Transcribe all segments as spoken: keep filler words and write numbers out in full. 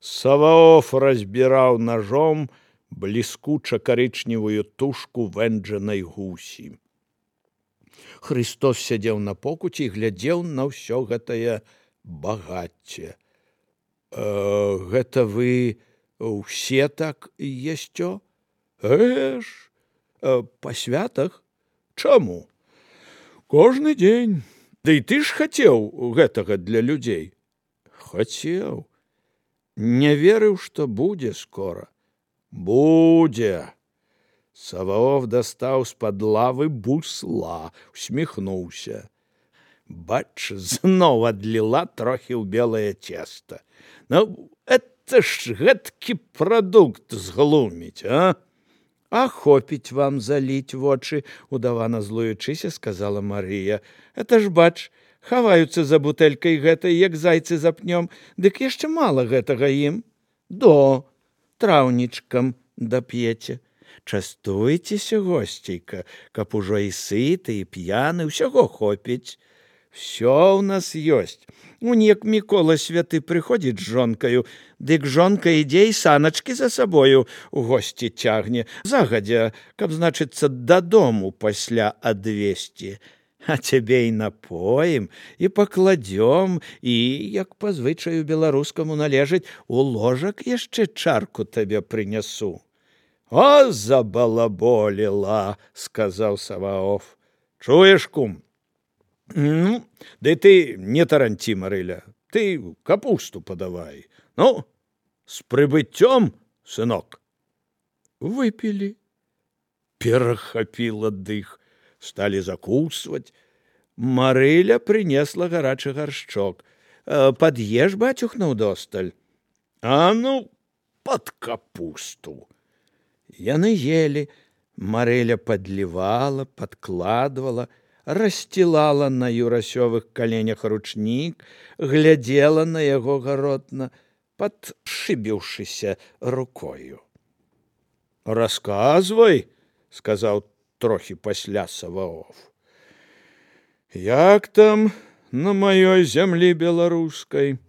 Саваоф разбіраў ножом бліскуча-карычневую тушку вэнджанай гусі. Христос сядзеў на покуці і глядзеў на ўсё гэтае багацце. «Э, гэта вы ўсе так есцё?» «Э ж, э, па святах? Чаму? Кожны дзень. Ды і ты ж хацеў гэтага для людзей?» «Хацеў. Не верыў, што будзе скора». «Будзе». Саваоф дастаў з-пад лавы бусла, усміхнуўся. Бач, зноў адліла трохі ў белае цеста. Ну, это ж гэткі прадукт зглуміць, а? А хопіць вам заліць вочы, удавана злуючыся, сказала Марыя. Это ж, бач, хаваюцца за бутэлькай гэтай, як зайцы за пнём, дык яшчэ мала гэтага ім. До, траўнічкам дап'еце. Частуйцеся, госцейка, каб ужо і сыты, і п'яны, усяго хопіць. Всё ў нас ёсць. Унек Мікола святы прыходзіць з жонкаю, дык жонка ідзе і саначкі за сабою у госці цягне, загадзя, каб, значыцца, дадому пасля адвесці. А цябе і напоім, і пакладзём, і, як па звычаю беларускаму належыць, у ложак яшчэ чарку табе прынясу. «О, забалаболіла!» – сказаў Саваоф. «Чуеш, кум? Ну, ды ты не таранці, Марыля, ты капусту падавай. Ну, з прыбыццём, сынок!» Выпілі. Перахапіла дых. Сталі закусваць. Марыля прынесла гарачы гаршчок. «Пад'еш, бацюх, наўдосталь?» «А ну, пад капусту!» Яны ели. Марыля падлівала, падкладвала, рассцілала на юрасёвых каленях ручнік, глядзела на яго гаротна, падшыбіўшыся рукою. «Расказвай», – сказаў трохі пасля Саваоф. «Як там на маёй зямлі беларускай?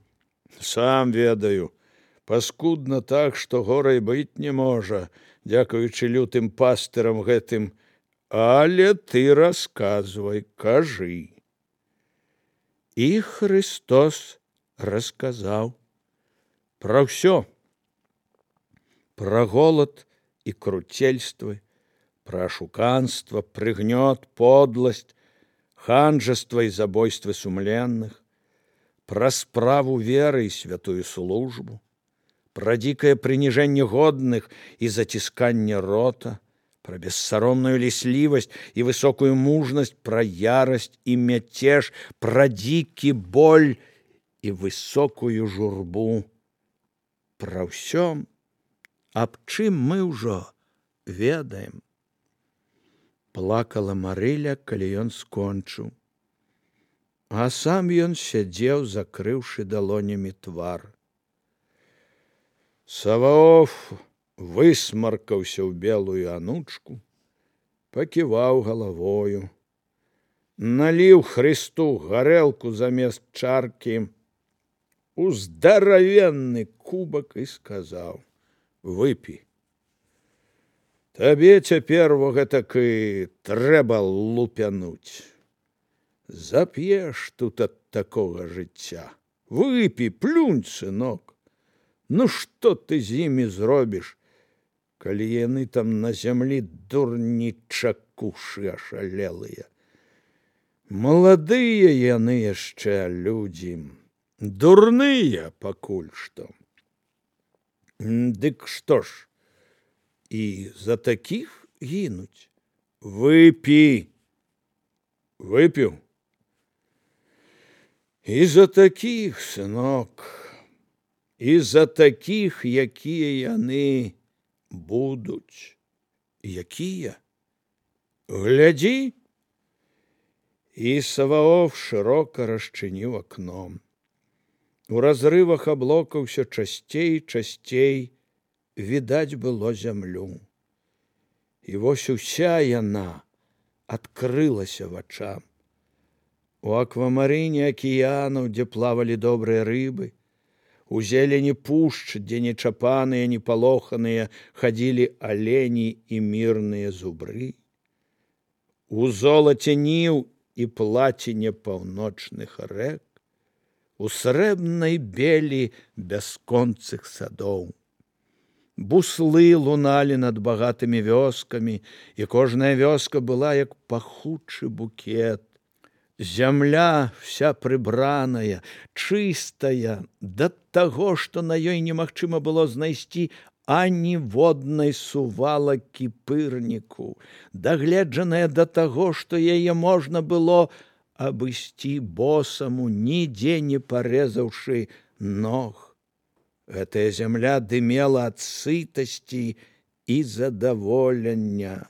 Сам ведаю, паскудна так, што горай быць не можа, дзякуючы лютым пастырам гэтым, але ты расказвай, кажы». І Христос расказаў пра ўсё. Пра голад і круцельствы, пра ашуканства, прыгнёт, подласць, ханжаства і забойствы сумленных, пра справу веры і святую службу, пра дзікае прыніжэнне годных і зацісканне рота, пра бессаромную ліслівасць і высокую мужнасць, пра ярасць і мяцеж, пра дзікі боль і высокую журбу. Пра ўсё, аб чым мы ўжо ведаем. Плакала Марыля, калі ён скончыў. А сам ён сядзеў, закрыўшы далонямі твар. Саваоф высмаркаўся ў белую анучку, паківаў галавою, наліў Христу гарэлку замест чаркі у здаравенны кубак і сказаў: «Выпі. Табе цяпер во гэтак і трэба лупянуць. Зап'еш тут ад такога жыцця. Выпі, плюнь, сынок. Ну што ты з імі зробіш, калі яны там на зямлі дурні чакушы ашалелыя? Маладыя яны яшчэ людзі, дурныя пакуль што. Дык што ж, і за такіх гінуць? Выпі». Выпіў. І за такіх, сынок, і за такіх, якія яны будуць. Якія? Глядзі. І Саваоф шырока расчыніў акном. У разрывах аблока ўсё часцей і часцей відаць было зямлю. І вось уся яна адкрылася вачам. У аквамарыне акіянаў, дзе плавалі добрыя рыбы, У зелені пушч, дзе нечапаныя, непалоханыя, хадзілі алені і мірныя зубры. У золаце ніў і плаціне паўночных рэк, у срэбнай белі бясконцых садоў. Буслы луналі над багатымі вёскамі, і кожная вёска была як пахучы букет. Зямля вся прыбраная, чыстая, да таго, што на ёй немагчыма было знайсці аніводнай сувалакі пырніку, дагледжаная да таго, што яе можна было абысці босаму, нідзе не парэзаўшы ног. Гэтая зямля дымела ад сытасці і задаволення,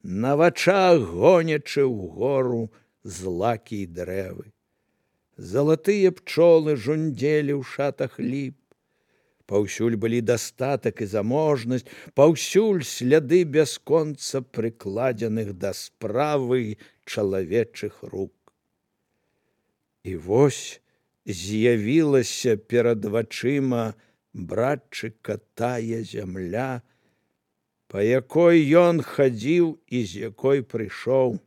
на вачах гонячы ўгору злакі і дрэвы. Залатыя пчолы жундзелі ў шатах ліп. Паўсюль былі дастатак і заможнасць, паўсюль сляды бясконца прыкладзеных да справы чалавечых рук. І вось з'явілася перад вачыма братчыка тая зямля, па якой ён хадзіў і з якой прыйшоў.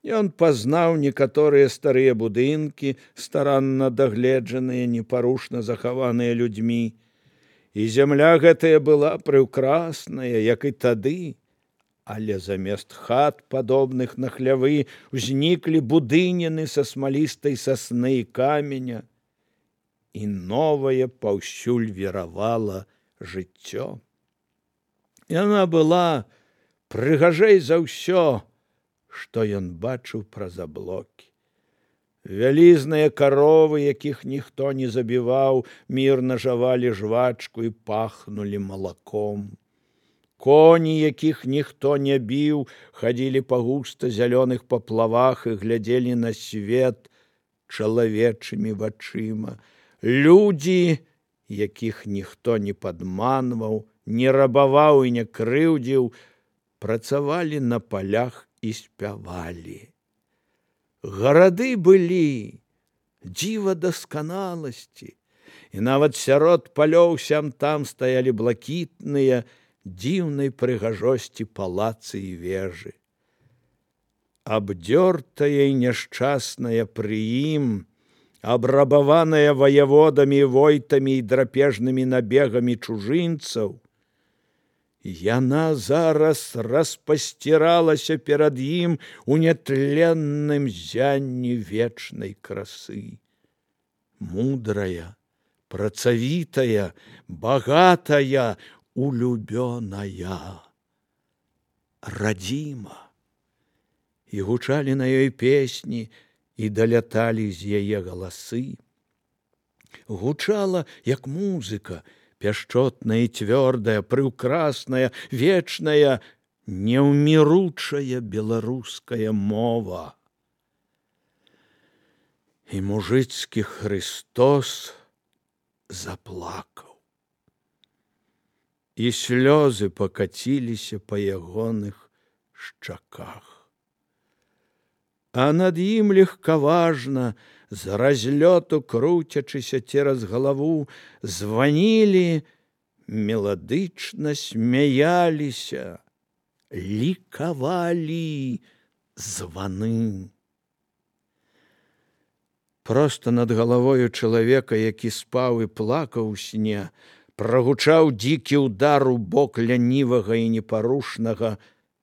Ён пазнаў некаторыя старыя будынкі, старанна дагледжаныя, непарушна захаваныя людзьмі. І зямля гэтая была прыўкрасная, як і тады, але замест хат, падобных на хлявы, узніклі будыніны са смалістай сасны і каменя, і новае паўсюль віравала жыццё. Яна была прыгажэй за ўсё, што ён бачыў праз аблокі. Вялізныя каровы, якіх ніхто не забіваў, мірна жавалі жвачку і пахнулі малаком. Коні, якіх ніхто не біў, хадзілі па густа зялёных паплавах і глядзелі на свет чалавечымі вачыма. Людзі, якіх ніхто не падманваў, не рабаваў і не крыўдзіў, працавалі на палях і спявалі. Гарады былі дзіва дасканаласці, і нават сярод палёў сям-там стаялі блакітныя, дзіўнай прыгажосці палацы і вежы. Абдзёртая і няшчасная пры ім, абрабаваная ваяводамі, войтамі і драпежнымі набегамі чужынцаў, яна зараз распасціралася перад ім у нятленным зянні вечнай красы. Мудрая, працавітая, багатая, улюбёная, радзіма. І гучалі на ёй песні, і даляталі з яе галасы. Гучала, як музыка, пяшчотная і цвёрдая, прыўкрасная, вечная, неўміручая беларуская мова. І мужыцкі Хрыстос заплакаў. І слёзы пакаціліся па ягоных шчаках. А над ім легкаважна, з разлёту круцячыся цераз галаву, званілі, меладычна смяяліся, лікавалі званы. Проста над галавою чалавека, які спаў і плакаў у сне, прагучаў дзікі ўдар у бок лянівага і непарушнага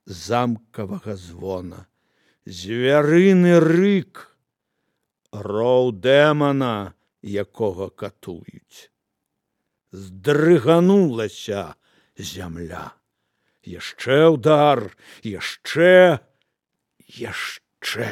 замкавага звона. Звярыны рык, роў дэмана, якога катуюць. Здрыганулася зямля. Яшчэ ўдар, яшчэ, яшчэ.